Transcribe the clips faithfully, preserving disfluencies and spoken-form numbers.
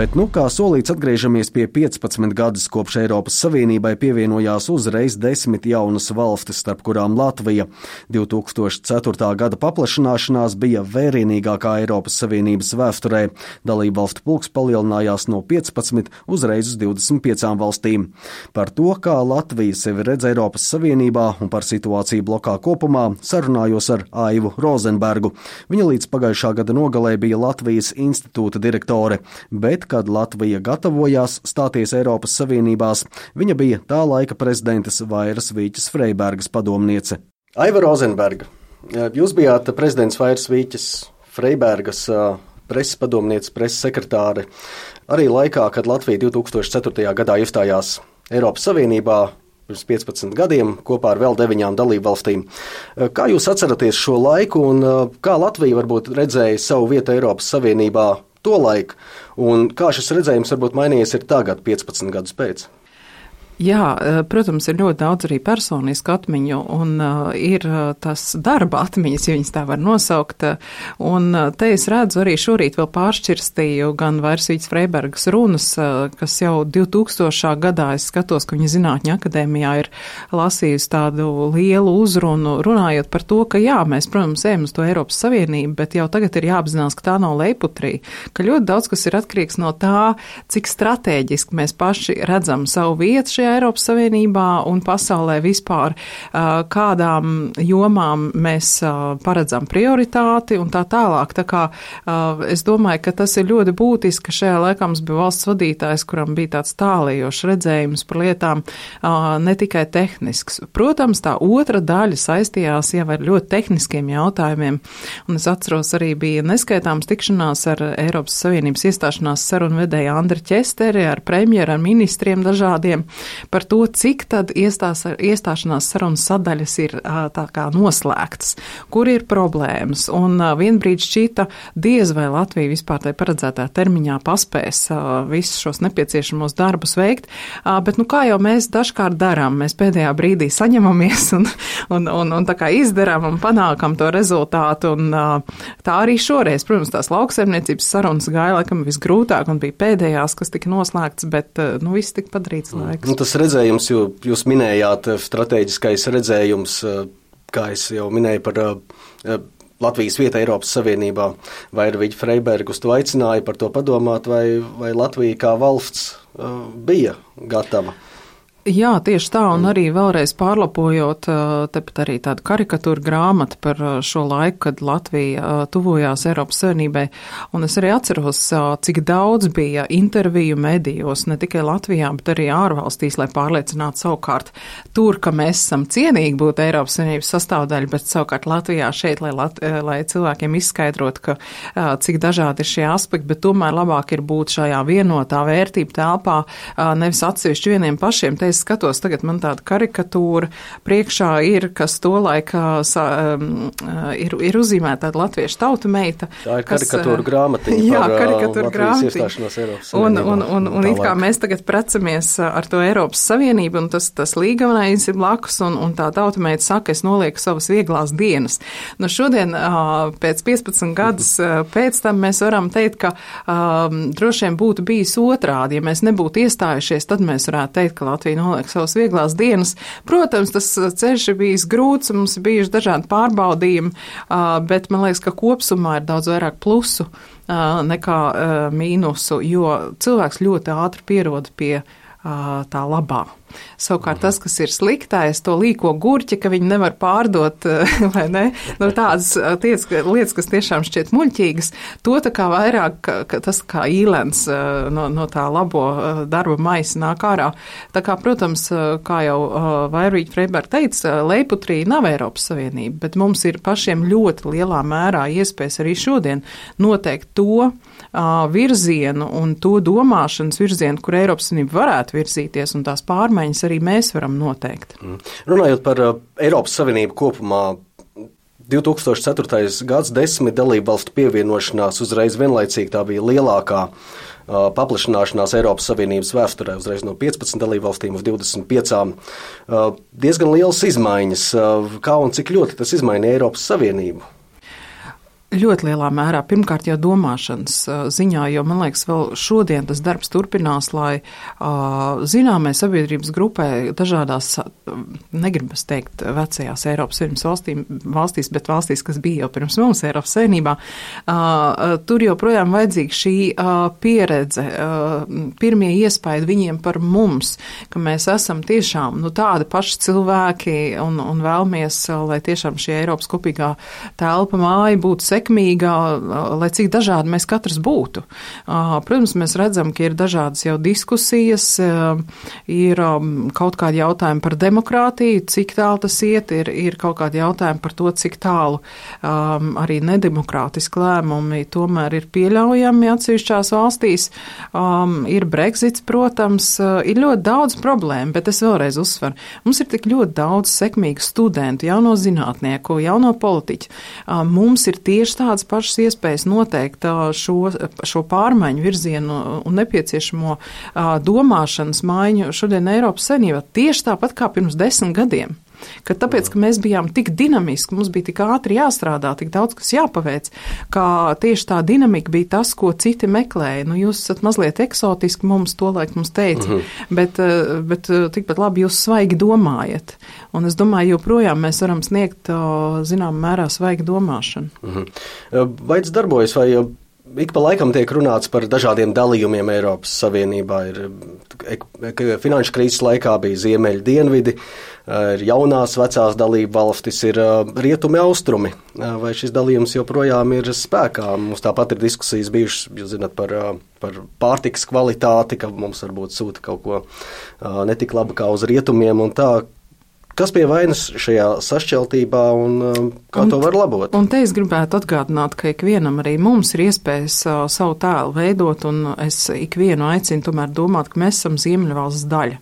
Bet, nu, kā solīts, atgriežamies pie piecpadsmit gadus kopš Eiropas Savienībai pievienojās uzreiz desmit jaunas valstis, starp kurām Latvija. divi tūkstoši ceturtā gada paplašināšanās bija vērienīgākā Eiropas Savienības vēsturē. Dalību valstu pulks palielinājās no piecpadsmit uzreiz uz divdesmit piecām valstīm. Par to, kā Latvija sevi redz Eiropas Savienībā un par situāciju blokā kopumā, sarunājos ar Aivu Rozenbergu. Viņa līdz pagājušā gada nogalē bija Latvijas institūta direktore, bet kad Latvija gatavojās stāties Eiropas Savienībās, viņa bija tā laika prezidentes Vairas Vīķes Freibergas padomniece. Aiva Rozenberga, jūs bijāt prezidents Vairas Vīķes Freibergas preses padomniece, preses sekretāre, arī laikā, kad Latvija divi tūkstoši ceturtajā gadā iestājās Eiropas Savienībā pirms piecpadsmit gadiem kopā ar vēl deviņām dalību valstīm. Kā jūs atceraties šo laiku un kā Latvija varbūt redzēja savu vietu Eiropas Savienībā to laiku, un kā šis redzējums varbūt mainījies ir tagad, piecpadsmit gadus pēc? Jā, protams, ir ļoti daudz arī personisku atmiņu, un uh, ir tas darba atmiņas, ja viņas tā var nosaukt, un uh, te es redzu arī šorīt vēl pāršķirstīju gan Vairas Vīķes Freibergas runas, uh, kas jau divtūkstošā gadā, es skatos, ka viņa Zinātņu akadēmijā ir lasījusi tādu lielu uzrunu, runājot par to, ka jā, mēs, protams, ejam uz to Eiropas Savienību, bet jau tagad ir jāapzinās, ka tā nav leiputrī, ka ļoti daudz, kas ir atkarīgs no tā, cik stratēģiski mēs paši redzam savu vietu šajā Eiropas Savienībā un pasaulē vispār, kādām jomām mēs paredzam prioritāti un tā tālāk. Tā kā es domāju, ka tas ir ļoti būtiski, ka šajā laikā mums bija valsts vadītājs, kuram bija tāds tālējošs redzējums par lietām, ne tikai tehnisks. Protams, tā otra daļa saistījās jau ar ļoti tehniskiem jautājumiem, un es atceros arī bija neskaitāms tikšanās ar Eiropas Savienības iestāšanās sarunvedēju Andri Ķesteri, ar premjeru, ar ministriem dažādiem, par to, cik tad iestās, iestāšanās sarunas sadaļas ir tā kā noslēgtas, kur ir problēmas. Un vienbrīd šķita diez vai Latvija vispār tai paredzētā termiņā paspēs visus šos nepieciešamos darbus veikt, bet nu kā jau mēs dažkārt darām, mēs pēdējā brīdī saņemamies un, un, un, un tā kā izdarām un panākam to rezultātu. Un tā arī šoreiz, protams, tās lauksaimniecības sarunas gāja laikam visgrūtāk un bija pēdējās, kas tika noslēgts, bet nu viss tika padarīts laiks. Nu, tas redzējums, jo jūs minējāt strateģiskais redzējums, kā es jau minēju par Latvijas vietu Eiropas Savienībā, vai ir Vīķe Freiberga uz to aicināja par to padomāt, vai, vai Latvija kā valsts bija gatava? Jā, tieši tā, un arī vēlreiz pārlapojot, tepat arī tādu karikatūru grāmatu par šo laiku, kad Latvija tuvojās Eiropas Savienībai, un es arī atceros, cik daudz bija interviju medijos, ne tikai Latvijā, bet arī ārvalstīs, lai pārliecinātu savukārt tur, ka mēs esam cienīgi būt Eiropas Savienības sastāvdaļa, bet savukārt Latvijā šeit, lai, Lat- lai cilvēkiem izskaidrot, ka cik dažādi ir šie aspekti, bet tomēr labāk ir būt šajā vienotā vērtību telpā, nevis atsevišķi vieniem pašiem. Te es skatos, tagad man tāda karikatūra priekšā ir, kas tolaik sa, um, ir, ir uzzīmēta tāda latviešu tauta meita. Tā ir karikatūra grāmatiņa jā, par karikatūra Latvijas iestāšanos Eiropas un, Savienībā. un, un, un it kā mēs tagad precamies ar to Eiropas Savienību, un tas, tas līgaunais ir blakus, un, un tā tauta meita saka, es nolieku savas vieglās dienas. Nu šodien, pēc piecpadsmit gadus pēc tam mēs varam teikt, ka um, droši vien būtu bijis otrādi. Ja mēs nebūtu iestājušies, tad mēs varētu teikt, ka Latvija noliek savas vieglās dienas. Protams, tas ceļš ir bijis grūts, mums ir bijuši dažādi pārbaudījumi, bet man liekas, ka kopsumā ir daudz vairāk plusu nekā mīnusu, jo cilvēks ļoti ātri pierod pie tā labā. Savukārt tas, kas ir sliktais, to līko gurķi, ka viņi nevar pārdot, vai ne? Nu, tādas lietas, lietas, kas tiešām šķiet muļķīgas, to tā kā vairāk, ka tas kā īlens no, no tā labo darba maisa nāk ārā. Tā kā, protams, kā jau Vaira Vīķe Freiberga teica, leiputrī nav Eiropas Savienība, bet mums ir pašiem ļoti lielā mērā iespējas arī šodien noteikt to virzienu un to domāšanas virzienu, kur Eiropas Savienība varētu virzīties un tās pārmaiņas arī mēs varam noteikt. Runājot par uh, Eiropas Savienību kopumā, divi tūkstoši ceturtais gads, desmit dalību valstu pievienošanās uzreiz vienlaicīgi tā bija lielākā uh, paplašināšanās Eiropas Savienības vēsturē, uzreiz no piecpadsmit dalību valstīm uz divdesmit piecām. Uh, diezgan lielas izmaiņas. Uh, kā un cik ļoti tas izmainīja Eiropas Savienību? Ļoti lielā mērā, pirmkārt jau domāšanas ziņā, jo man liekas, vēl šodien tas darbs turpinās, lai uh, zināmai sabiedrības grupai dažādās, negribas teikt, vecajās Eiropas Savienības valstīm, valstīs, bet valstīs, kas bija jau pirms mums Eiropas Savienībā, uh, tur joprojām vajadzīga šī uh, pieredze, uh, pirmie iespaidi viņiem par mums, ka mēs esam tiešām nu, tādi paši cilvēki un, un vēlamies, lai tiešām šī Eiropas kopīgā telpa māja būtu sekmīga, sekmīgā, lai cik dažādi mēs katrs būtu. Protams, mēs redzam, ka ir dažādas jau diskusijas, ir kaut kādi jautājumi par demokrātiju, cik tālu tas iet, ir, ir kaut kādi jautājumi par to, cik tālu um, arī nedemokrātiski lēmumi tomēr ir pieļaujami atsevišķās valstīs. Um, ir Brexits, protams, ir ļoti daudz problēmu, bet es vēlreiz uzsveru. Mums ir tik ļoti daudz sekmīgu studentu, jauno zinātnieku, jauno politiķu. Um, mums ir tieši tādas pašas iespējas noteikt šo, šo pārmaiņu virzienu un nepieciešamo domāšanas maiņu šodien Eiropas Savienībā tieši tāpat kā pirms desmit gadiem. Ka tāpēc, ka mēs bijām tik dinamiski, mums bija tik ātri jāstrādā, tik daudz, kas jāpaveic, ka tieši tā dinamika bija tas, ko citi meklēja. Nu, jūs esat mazliet eksotiski, mums tolaik mums teica, mm-hmm. bet, bet tikpat labi jūs svaigi domājat. Un es domāju, joprojām mēs varam sniegt, zinām, mērā svaigi domāšanu. Mm-hmm. Vai tas darbojas, vai ik pa laikam tiek runāts par dažādiem dalījumiem Eiropas Savienībā? Ir finanšu krīzes laikā bija ziemeļi dienvidi, ir jaunās vecās dalība valstis, ir rietumi austrumi. Vai šis dalījums joprojām ir spēkā? Mums tāpat ir diskusijas bijušas, jūs zināt, par, par pārtikas kvalitāti, ka mums varbūt sūta kaut ko netik labi kā uz rietumiem un tā. Kas pie vainas šajā sašķeltībā un kā un, to var labot? Un te es gribētu atgādināt, ka ikvienam arī mums ir iespējas uh, savu tēlu veidot, un es ikvienu aicinu tomēr domāt, ka mēs esam Ziemeļvalsts daļa.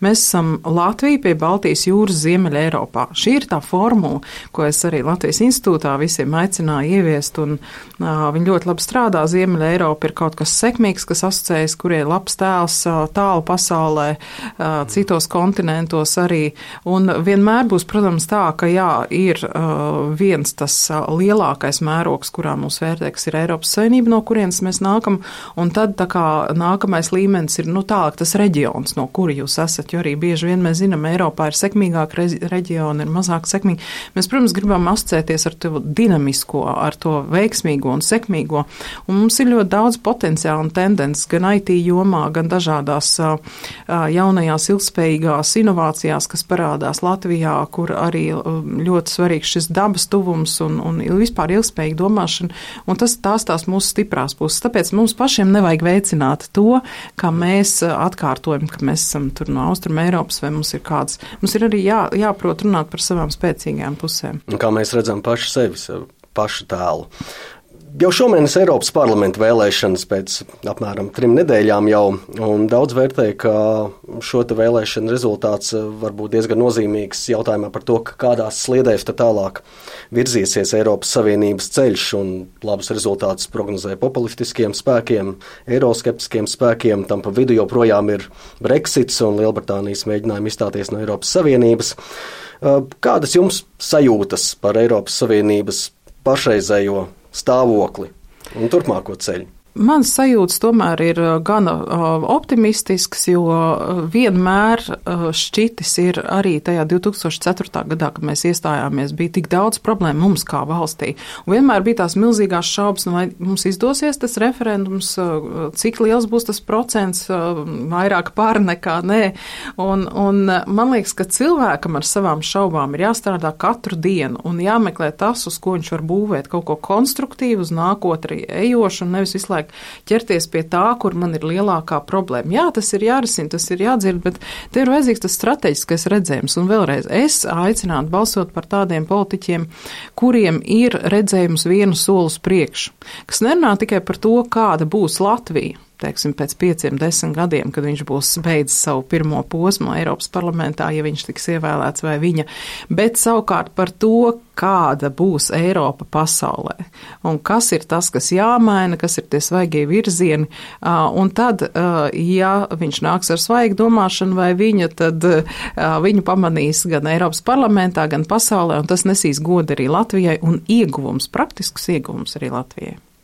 Mēs esam Latvija pie Baltijas jūras Ziemeļa Eiropā. Šī ir tā formula, ko es arī Latvijas institūtā visiem aicināju ieviest, un uh, viņi ļoti labi strādā. Ziemeļa Eiropa ir kaut kas sekmīgs, kas asociējas, kur ir labs tēls uh, tālu pasaulē, uh, citos kontinentos arī, un vienmēr būs, protams, tā, ka jā, ir uh, viens tas uh, lielākais mērogs, kurā mūs vērtē, kas ir Eiropas Savienība, no kurienes mēs nākam, un tad tā kā nākamais līmenis ir, nu tālāk tas reģions, no kura jūs esat, jo arī bieži vien mēs zinām, Eiropā ir sekmīgāk reģioni, ir mazāk sekmīgi. Mēs, protams, gribam asociēties ar to dinamisko, ar to veiksmīgo un sekmīgo, un mums ir ļoti daudz potenciāla un tendences gan I T jomā, gan dažādās uh, jaunajās ilgspējīgās inovācijās, kas parādās Latvijā, kur arī ļoti svarīgs šis dabas tuvums un, un vispār ilgspējīga domāšana, un tas tās tās mūsu stiprās puses. Tāpēc mums pašiem nevajag veicināt to, kā mēs atkārtojam, ka mēs esam tur no Austrum Eiropas, vai mums ir kāds, mums ir arī jā, jāprot runāt par savām spēcīgām pusēm. Un kā mēs redzam paši sevi, pašu tēlu. Jau šomēnes Eiropas parlamenta vēlēšanas pēc apmēram trim nedēļām jau, un daudz vērtē, ka šo te vēlēšanu rezultāts var būt diezgan nozīmīgs jautājumā par to, ka kādās sliedēs tad tālāk virzīsies Eiropas Savienības ceļš, un labus rezultātus prognozē populistiskiem spēkiem, eiroskeptiskiem spēkiem, tam pa vidu joprojām ir Brexits un Lielbritānijas mēģinājumi izstāties no Eiropas Savienības. Kādas jums sajūtas par Eiropas Savienības pašreizējo stāvokli un turpmāko ceļu? Mans sajūtas tomēr ir gana optimistisks, jo vienmēr šķitis ir arī tajā divi tūkstoši ceturtā gadā, kad mēs iestājāmies, bija tik daudz problēmu mums kā valstī. Un vienmēr bija tās milzīgās šaubas, nu vai mums izdosies tas referendums, cik liels būs tas procents, vairāk pār nekā nē. Un, un man liekas, ka cilvēkam ar savām šaubām ir jāstrādā katru dienu un jāmeklē tas, uz ko viņš var būvēt kaut ko konstruktīvu, uz nākotni ejošu un nevis visu laiku ķerties pie tā, kur man ir lielākā problēma. Jā, tas ir jārisina, tas ir jādzird, bet te ir vajadzīgs tas strateģiskais redzējums. Un vēlreiz es aicinātu balsot par tādiem politiķiem, kuriem ir redzējums vienu soli uz priekšu, kas nerunā tikai par to, kāda būs Latvija. teiksim, pēc pieciem, desmit gadiem, kad viņš būs beidzis savu pirmo posmu Eiropas parlamentā, ja viņš tiks ievēlēts vai viņa, bet savukārt par to, kāda būs Eiropa pasaulē, un kas ir tas, kas jāmaina, kas ir tie svaigie virzieni, un tad, ja viņš nāks ar svaigu domāšanu vai viņa, tad viņu pamanīs gan Eiropas parlamentā, gan pasaulē, un tas nesīs godu arī Latvijai un ieguvums, praktisks ieguvums arī Latvijai.